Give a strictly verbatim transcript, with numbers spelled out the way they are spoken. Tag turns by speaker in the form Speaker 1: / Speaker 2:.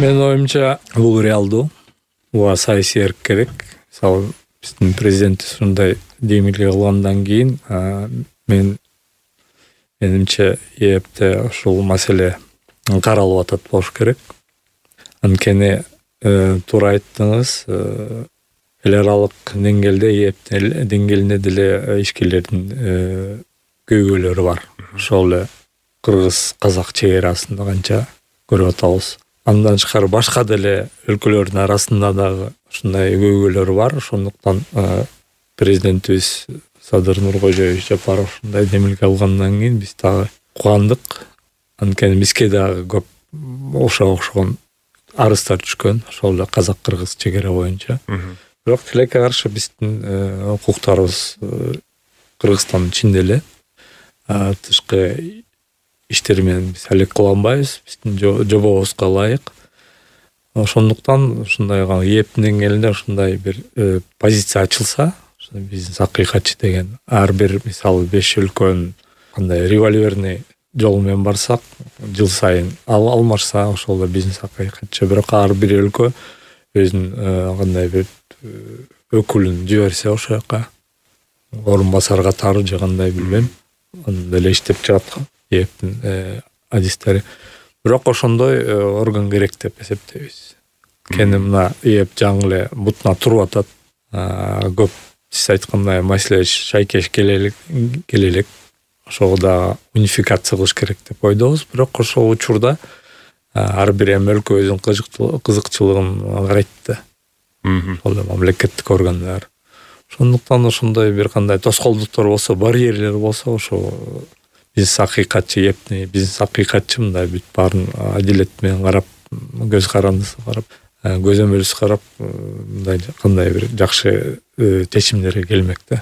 Speaker 1: Менин оюмча бул реалдуу. Буга саясий эрк керек. Мисалы биздин президент ушундай демилге кылгандан кийин мен менимче ЭЭПте ушул маселе каралып атат болуш керек. Анткени туура айттыңыз, эл аралык деңгээлде ЭЭП деңгээлинде деле ишкерлердин көйгөйлөрү бар. Ошол эле кыргыз-казак чек арасында канча көрүп атабыз. Андан тышкары башка деле өлкөлөрдүн арасында дагы ушундай көйгөйлөр бар. Ошондуктан президентибиз Садыр Нуркожоевич Жапаров ушундай демилге алгандан кийин биз дагы кубандык. Анткени бизге дагы көп ошого окшогон арыздар түшкөн, ошол эле казак-кыргыз чек ара боюнча. Бирок тилекке каршы биздин укуктарыбыз Кыргызстандын ичинде эле тышкы иштер менен биз алек кыла албайбыз, биздин жобобузга ылайык. Ошондуктан ушундай ЭЭП деңгээлинде ушундай бир позиция ачылса, бизнес акыйкатчы деген ар бир мисалы беш өлкөнүн кандай револьверный жол менен барсак, жыл сайын ал алмашса, ошол эле бизнес акыйкатчы. Бирок ар бир өлкө өзүнүн кандай бир өкүлүн жиберсе ошол жака орун басар катары же кандай билбейм, аны деле иштеп чыгат ЭЭПтин адистери. Бирок ошондой орган керек деп эсептейбиз. Кени мына ЭЭП жаңы эле бутуна туруп атат. Көп сиз айткандай маселе шайкеш келелек келелек. Ошого да унификация кылыш керек деп ойдобуз. Бирок ошол учурда ар бир эми өлкө өзүнүн кызыкчылыгын карайт да. Ошол эле мамлекеттик органдар. Ошондуктан ошондой бир кандай тоскоолдуктор болсо, барьерлер болсо, ошо бизнес акыйкатчы ЭЭПни бизнес акыйкатчы мындай бүт баарын адилет менен карап, көз карандысыз карап, көзөмөлсүз карап, мындай кандай бир жакшы чечимдерге келмек да.